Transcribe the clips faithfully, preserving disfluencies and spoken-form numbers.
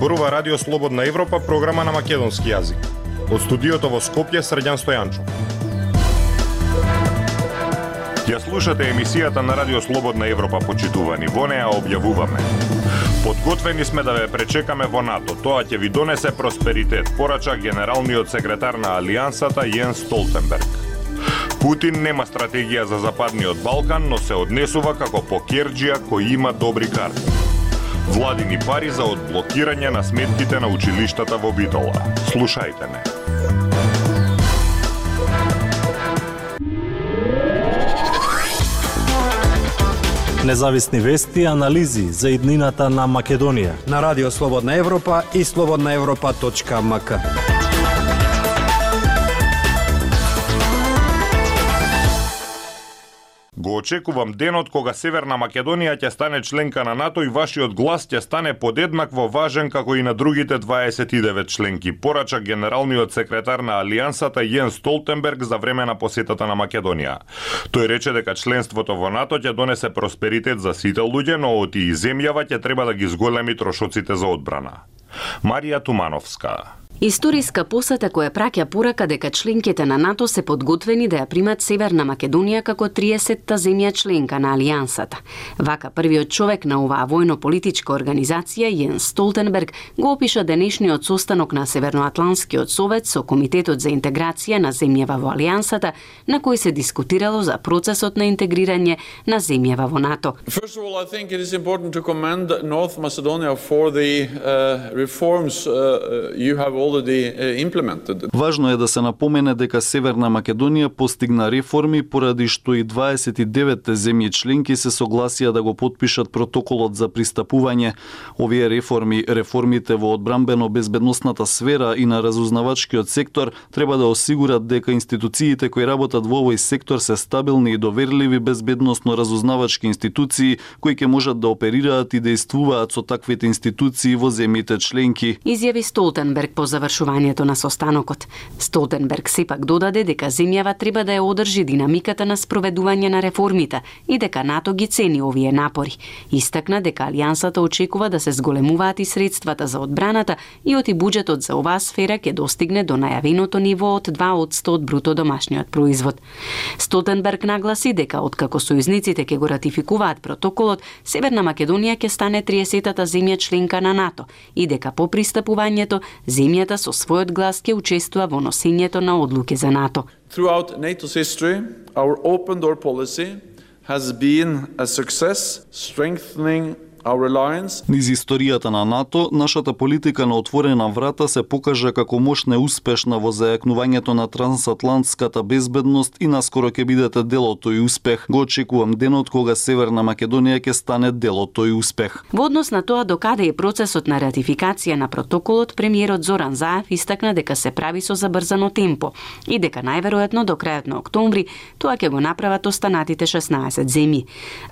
Зборува Радио Слободна Европа, програма на македонски јазик. Од студиото во Скопје, Срđan Стојанчо. Ја слушате емисијата на Радио Слободна Европа, почитувани. Во неа објавуваме: подготвени сме да ве пречекаме во НАТО. Тоа ќе ви донесе просперитет, порача генералниот секретар на Алијансата Јенс Столтенберг. Путин нема стратегија за Западниот Балкан, но се однесува како покерџија кој има добри карти. Владини пари за одблокирање на сметките на училиштата во Битола. Слушајте ме. Независни вести и анализи за иднината на Македонија на Радио Слободна Европа и слободна европа точка ем ка. Го очекувам денот кога Северна Македонија ќе стане членка на НАТО и вашиот глас ќе стане подеднакво важен како и на другите дваесет и девет членки, порача генералниот секретар на Алијансата Јенс Столтенберг за време на посетата на Македонија. Тој рече дека членството во НАТО ќе донесе просперитет за сите луѓе, но оти и земјава ќе треба да ги зголеми трошоците за одбрана. Марија Тумановска. Историска посета која праќа порака дека членките на НАТО се подготвени да ја примат Северна Македонија како триесетта земја членка на Алијансата. Вака првиот човек на оваа војно-политичка организација, Јенс Столтенберг, го опиша денешниот состанок на Северноатлантскиот совет со Комитетот за интеграција на земјава во Алијансата, на кој се дискутирало за процесот на интегрирање на земјава во НАТО. First of all, I think it is important to commend North Macedonia for the uh, reforms uh, you have Важно е да се напомене дека Северна Македонија постигна реформи поради што и дваесет и деветте земји членки се согласија да го потпишат протоколот за пристапување. Овие реформи, реформите во одбранбено-безбедносната сфера и на разузнавачкиот сектор треба да осигурат дека институциите кои работат во овој сектор се стабилни и доверливи безбедносно-разузнавачки институции кои ќе можат да оперираат и действуваат со таквите институции во земјите членки. Изјави Столтенберг по завршувањето на состанокот. Столтенберг сепак додаде дека земјава треба да ја одржи динамиката на спроведување на реформите и дека НАТО ги цени овие напори. Истакна дека Алијансата очекува да се зголемуваат и средствата за одбраната и оти буџетот за оваа сфера ќе достигне до најавеното ниво од два одсто од бруто домашниот производ. Столтенберг нагласи дека откако сојузниците ќе го ратификуваат протоколот, Северна Македонија ќе стане триесеттата земја членка на НАТО и дека по пристапувањето земјата со својот глас ќе учествува во носењето на одлуки за НАТО. Throughout NATO's history, our open door policy has been a success, strengthening our alliance. Низ историјата на НАТО, нашата политика на отворена врата се покажа како мощна успешна во зајакнувањето на трансатлантската безбедност и наскоро ќе бидете дел од тој успех. Го очекувам денот кога Северна Македонија ќе стане дел од тој успех. Во однос на тоа докаде е процесот на ратификација на протоколот, премиерот Зоран Заев истакна дека се прави со забрзано темпо и дека најверојатно до крајот на октомври тоа ќе го направат останатите шеснаесет земји.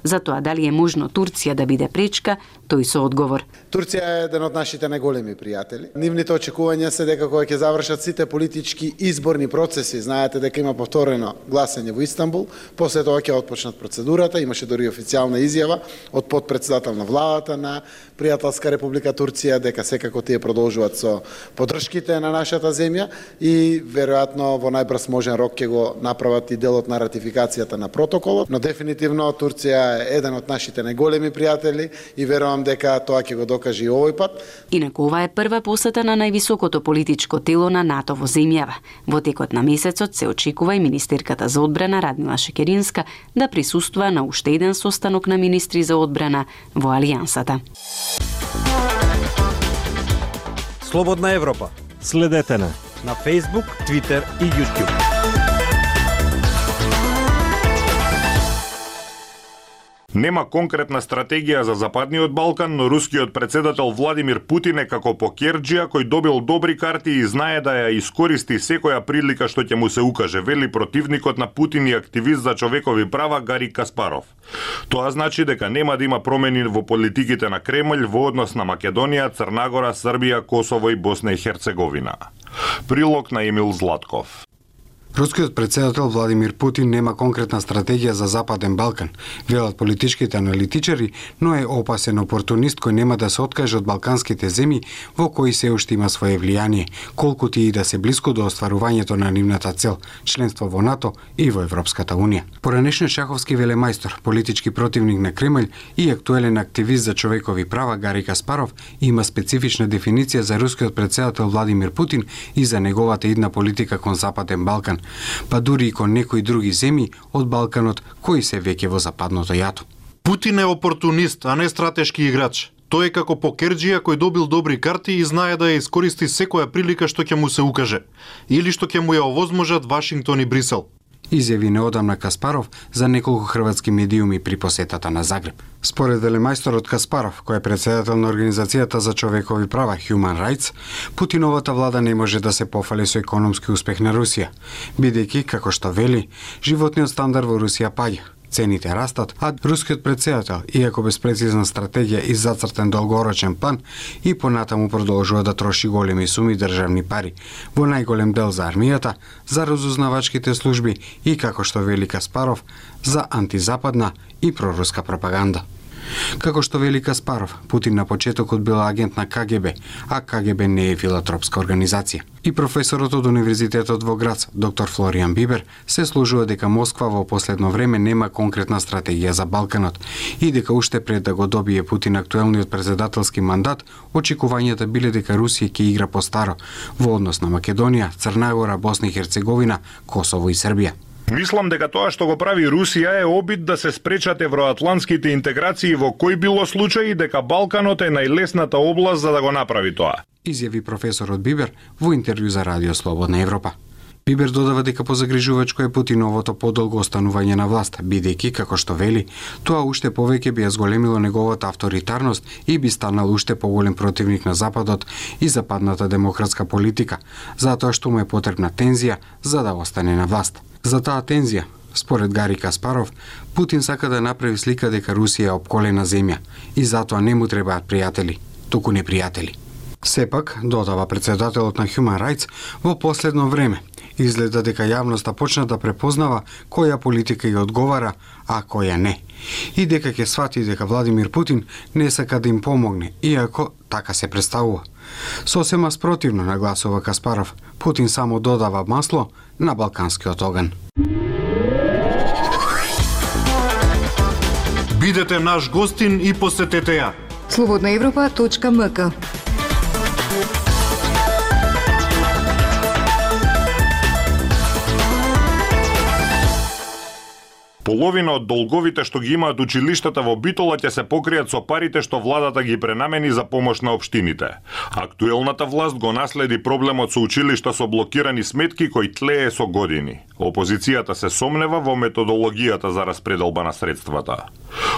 За тоа дали е можно Турција да биде пречка, тој со одговор. Турција е еден од нашите најголеми пријатели. Нивните очекувања се дека кога ќе завршат сите политички изборни процеси, знаете дека има повторено гласање во Истанбул, после тоа ќе отпочнат процедурата, имаше дори официјална изјава од потпредседател на владата на пријателска република Турција дека секако тие продолжуваат со поддршките на нашата земја и веројатно во најбрз можен рок ќе го направат и делот на ратификацијата на протоколот, но дефинитивно Турција е еден од нашите најголеми пријатели и верувам дека тоа ќе го докаже и овој пат. Инаку ова е прва посета на највисокото политичко тело на НАТО во земјава. Во текот на месецот се очекува и министерката за одбрана Радмила Шекеринска да присуствува на уште еден состанок на министри за одбрана во Алијансата. Слободна Европа. Следете на на Facebook, Twitter и YouTube. Нема конкретна стратегија за Западниот Балкан, но рускиот председател Владимир Путин е како покерџија кој добил добри карти и знае да ја искористи секоја прилика што ќе му се укаже, вели противникот на Путин и активист за човекови права Гари Каспаров. Тоа значи дека нема да има промени во политиките на Кремљ во однос на Македонија, Црнагора, Србија, Косово и Босна и Херцеговина. Прилог на Емил Златков. Рускиот претседател Владимир Путин нема конкретна стратегија за Западен Балкан, велат политичките аналитичари, но е опасен опортунист кој нема да се откаже од балканските земји во кои се уште има свое влијание, колкуто и да се блиску до остварувањето на нивната цел, членство во НАТО и во Европската Унија. Поранешниот шаховски велемајстор, политички противник на Кремљ и актуелен активист за човекови права Гари Каспаров има специфична дефиниција за рускиот претседател Владимир Путин и за неговата идна политика кон Западен Балкан, па дури и кон некои други земји од Балканот кои се веќе во западното јато. Путин е опортунист, а не стратешки играч. Тој е како покерџија кој добил добри карти и знае да ја искористи секоја прилика што ќе му се укаже или што ќе му ја овозможат Вашингтон и Брисел. Изјави неодамна Каспаров за неколку хрватски медиуми при посетата на Загреб. Според велемајсторот Каспаров, кој е претседател на Организацијата за човекови права Human Rights, Путиновата влада не може да се пофали со економски успех на Русија, бидејќи, како што вели, животниот стандард во Русија паѓа. Цените растат, а рускиот претседател, иако без прецизна стратегија и зацртен долгорочен план, и понатаму продолжува да троши големи суми државни пари, во најголем дел за армијата, за разузнавачките служби и, како што вели Каспаров, за антизападна и проруска пропаганда. Како што вели Каспаров, Путин на почетокот бил агент на К Г Б, а К Г Б не е филантропска организација. И професорот од Универзитетот во Грац, доктор Флоријан Бибер, се служува дека Москва во последно време нема конкретна стратегија за Балканот и дека уште пред да го добие Путин актуелниот претседателски мандат, очекувањата биле дека Русија ќе игра по старо во однос на Македонија, Црна Гора, Босна и Херцеговина, Косово и Србија. Мислам дека тоа што го прави Русија е обид да се спречат евроатлантските интеграции во кој било случај дека Балканот е најлесната област за да го направи тоа, изјави професорот Бибер во интервју за Радио Слободна Европа. Бибер додава дека позагрижувачко е Путиновото подолго останување на власт, бидејќи, како што вели, тоа уште повеќе би ја зголемило неговата авторитарност и би станал уште поголем противник на Западот и западната демократска политика, затоа што му е потребна тензија за да остане на власт. За таа тензија, според Гари Каспаров, Путин сака да направи слика дека Русија е опколена земја и затоа не му требаат пријатели, туку непријатели. Сепак, додава претседателот на Human Rights, во последно време изгледа дека јавноста почна да препознава која политика ја одговара, а која не. И дека ќе свати дека Владимир Путин не сака да им помогне, иако така се представува. Сосема спротивно нагласува Каспаров, Путин само додава масло на балканскиот оган. Бидете наш гостин и посетете ја. слободна европа точка м к. Половина од долговите што ги имаат училиштата во Битола ќе се покријат со парите што владата ги пренамени за помош на општините. Актуелната власт го наследи проблемот со училишта со блокирани сметки кој тлее со години. Опозицијата се сомнева во методологијата за распределба на средствата.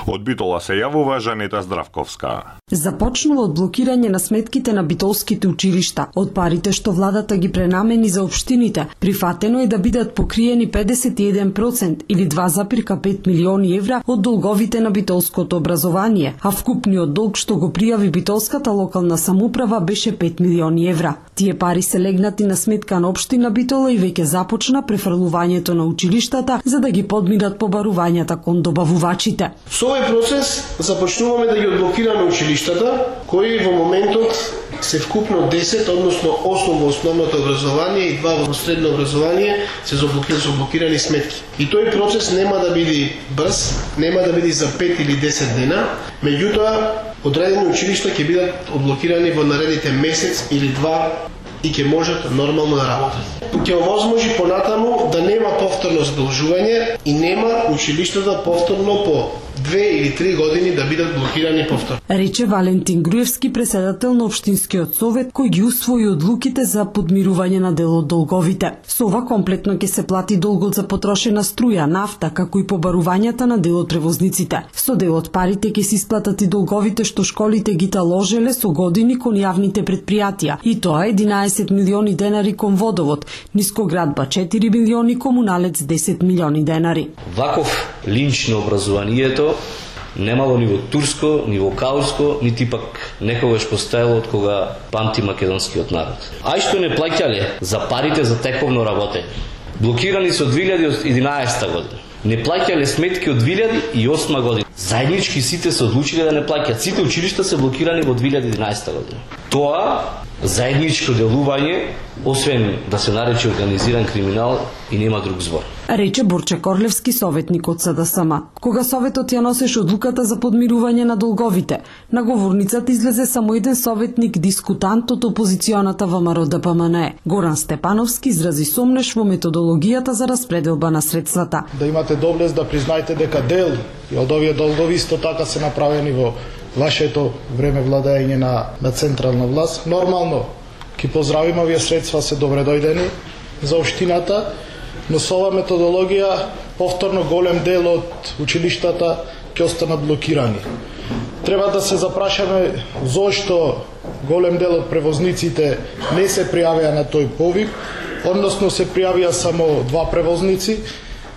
Од Битола се јавува Жанета Здравковска. Започнува од блокирање на сметките на битолските училишта, од парите што владата ги пренамени за општините. Прифатено е да бидат покриени педесет и еден проценти или два зарез пет милиони евра од долговите на битолското образование, а вкупниот долг што го пријави битолската локална самоуправа беше пет милиони евра. Тие пари се легнати на сметка на општина Битола и веќе започна префрлувањето на училиштата за да ги подминат побарувањата кон добавувачите. Со овој процес започнуваме да ги одблокираме училиштата, кои во моментот се вкупно десет, односно осум во основното образование и два во средно образование се заблокирани сметки. И тој процес нема да биде брз, нема да биде за пет или десет дена, меѓутоа одредени училишта ќе бидат одблокирани во наредните месец или два и ќе можат нормално да работат. Ќе овозможи понатаму да нема повторно задолжување и нема училиштата повторно по две или три години да бидат блокирани повторно. Рече Валентин Груевски, председател на Општинскиот совет, кој ги усвои одлуките за подмирување на дел од долговите. Со ова комплетно ќе се плати долгот за потрошена струја, нафта, како и побарувањата на дел од превозниците. Со дел од парите ќе се исплатат и долговите што школите ги таложеле со години кон јавните предпријатија, и тоа единаесет милиони денари кон водовод, Нискоградба четири милиони, Комуналец десет милиони денари. Ваков линч на образованието немало ни во турско, ни во каурско, нити пак некогаш постоело од кога памти македонскиот народ. А и што не плаќале за парите за тековно работење. Блокирани се од две илјади и единаесета година. Не плаќале сметки од две илјади и осма година. Заеднички сите се одлучиле да не плаќаат. Сите училишта се блокирани во две илјади и единаесета година. Тоа заедничко делување, освен да се нарече организиран криминал, и нема друг збор. Рече Борче Корлевски, советник од С Д С М. Кога советот ја носеше одлуката за подмирување на долговите, на говорницата излезе само еден советник, дискутант од опозиционата ВМРО Д П М Н Е. Горан Степановски изрази сомнеш во методологијата за распределба на средствата. Да имате доблест да признаете дека дел и од овие долгови исто така се направени во вашето време владење на, на централна власт. Нормално, ки поздравим, овие средства се добре дојдени за општината, но со ова методологија повторно голем дел од училиштата ќе останат блокирани. Треба да се запрашаме зошто голем дел од превозниците не се пријавија на тој повик, односно се пријавија само два превозници.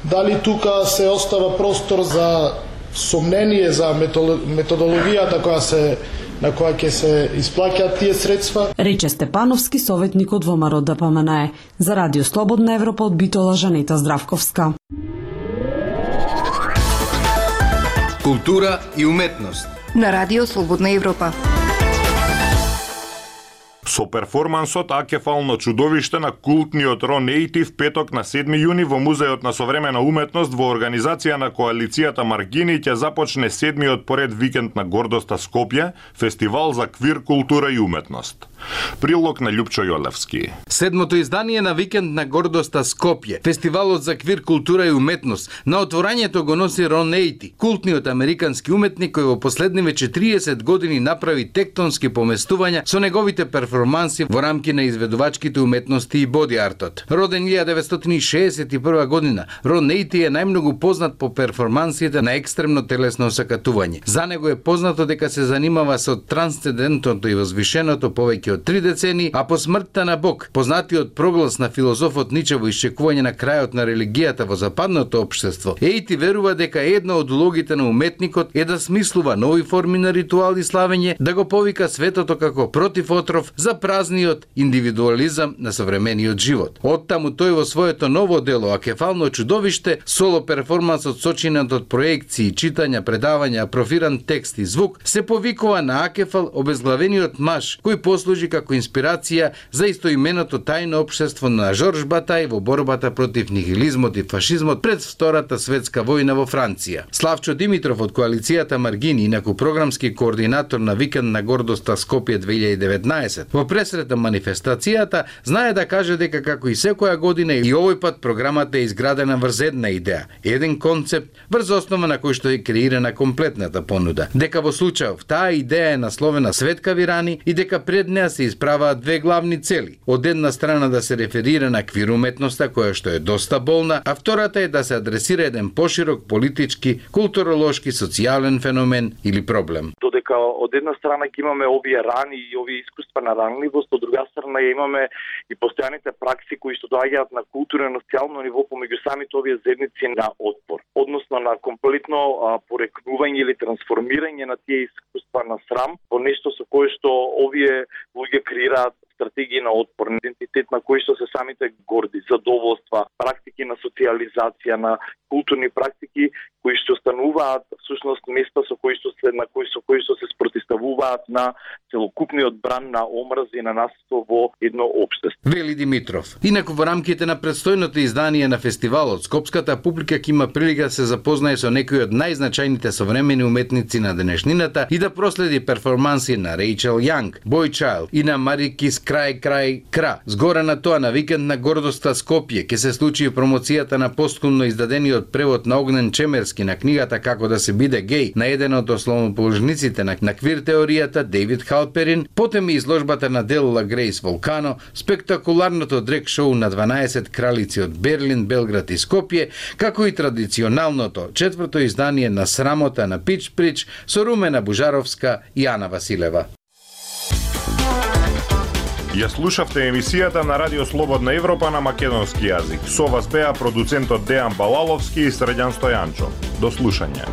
Дали тука се остава простор за сомнение за методологијата која се на која ќе се исплаќаат тие средства? Рече Степановски, советник од ВМРО Д П М Н Е. За Радио Слободна Европа од Битола, Жанета Здравковска. Култура и уметност на Радио Слободна Европа. Со перформансот Акефално чудовиште на култниот Рон Ејти в петок на седми јуни во Музеот на современа уметност во организација на коалицијата Маргини ќе започне седмиот поред викенд на гордоста Скопје, фестивал за квир култура и уметност. Прилог на Љупчо Јолевски. Седмото издание на викенд на гордоста Скопје, фестивалот за квир култура и уметност, на отворањето го носи Рон Ејти, култниот американски уметник кој во последниве четириесет години направи тектонски поместувања со неговите перформанси во рамки на изведувачките уметности и боди артот. Роден илјадесет деветстотини и шеесет и прва година, Рон Ејти е најмногу познат по перформансите на екстремно телесно осакатување. За него е познато дека се занимава со трансцендентното и возвишеното повеќе од три децени, а по смртта на Бог, познатиот проглас на филозофот Ниче во исчекување на крајот на религијата во западното општество, Ејти верува дека една од улогите на уметникот е да смислува нови форми на ритуал и славење, да го повика светото како против отров за празниот индивидуализам на современиот живот. Оттаму тој во своето ново дело Акефално чудовиште, соло перформансот сочинат од проекции, читања, предавања, профиран текст и звук, се повикува на Акефал, обезглавениот маж, кој послужи како инспирација за истоименото тајно општество на Жорж Батај во борбата против нихилизмот и фашизмот пред Втората светска војна во Франција. Славчо Димитров од коалицијата Маргини, инаку програмски координатор на викенд на гордоста Скопје две илјади и деветнаесет, во пресрет на манифестацијата, знае да каже дека како и секоја година и овој пат програмата е изградена врз една идеја, еден концепт врз основа на кој што е креирана комплетната понуда. Дека во случајов таа идеја е насловена Светка Вирани и дека пред неа се исправаат две главни цели. Од една страна да се реферира на квир уметноста која што е доста болна, а втората е да се адресира еден поширок политички, културолошки, социјален феномен или проблем. Додека од една страна ќе имаме овие рани и овие искуства на ранливост, од друга страна ја имаме и постојаните пракси кои што доаѓаат на културно и социјално ниво помеѓу самите овие заедници на отпор, односно на комплетно а, порекнување или трансформирање на тие искуства на срам во нешто со кое што овие луѓе креираат стратегии на отпор, идентитет на кои што се самите горди, задоволства, практики на социјализација, на културни практики кои што стануваат всушност места со кои што се на кои со кои што се спротиставуваат на целокупниот бран на омрз и на насилство во едно општество. Вели Димитров. Инаку во рамките на предстојното издание на фестивалот, скопската публика ќе има прилика да се запознае со некои од најзначајните современи уметници на денешнината и да проследи перформанси на Рейчел Јанг, Бој Чајлд и на Марикис Крај Крај Кра. Згора на тоа, на викенд на гордоста Скопје ќе се случи промоцијата на постхумно издадениот превод на Огнен Чемерски на книгата Како да се биде геј на еден од основоположниците на, на квир теоријата Дейвид Халперин, потем и изложбата на Делла Грейс Волкано, спектакуларното дрек шоу на дванаесет кралици од Берлин, Белград и Скопје, како и традиционалното четврто издание на Срамота на Пич Прич со Румена Бужаровска и Ана Василева. Ја слушавте емисијата на Радио Слободна Европа на македонски јазик. Со вас беа продуцентот Дејан Балаловски и Средјан Стојанчо. До слушање.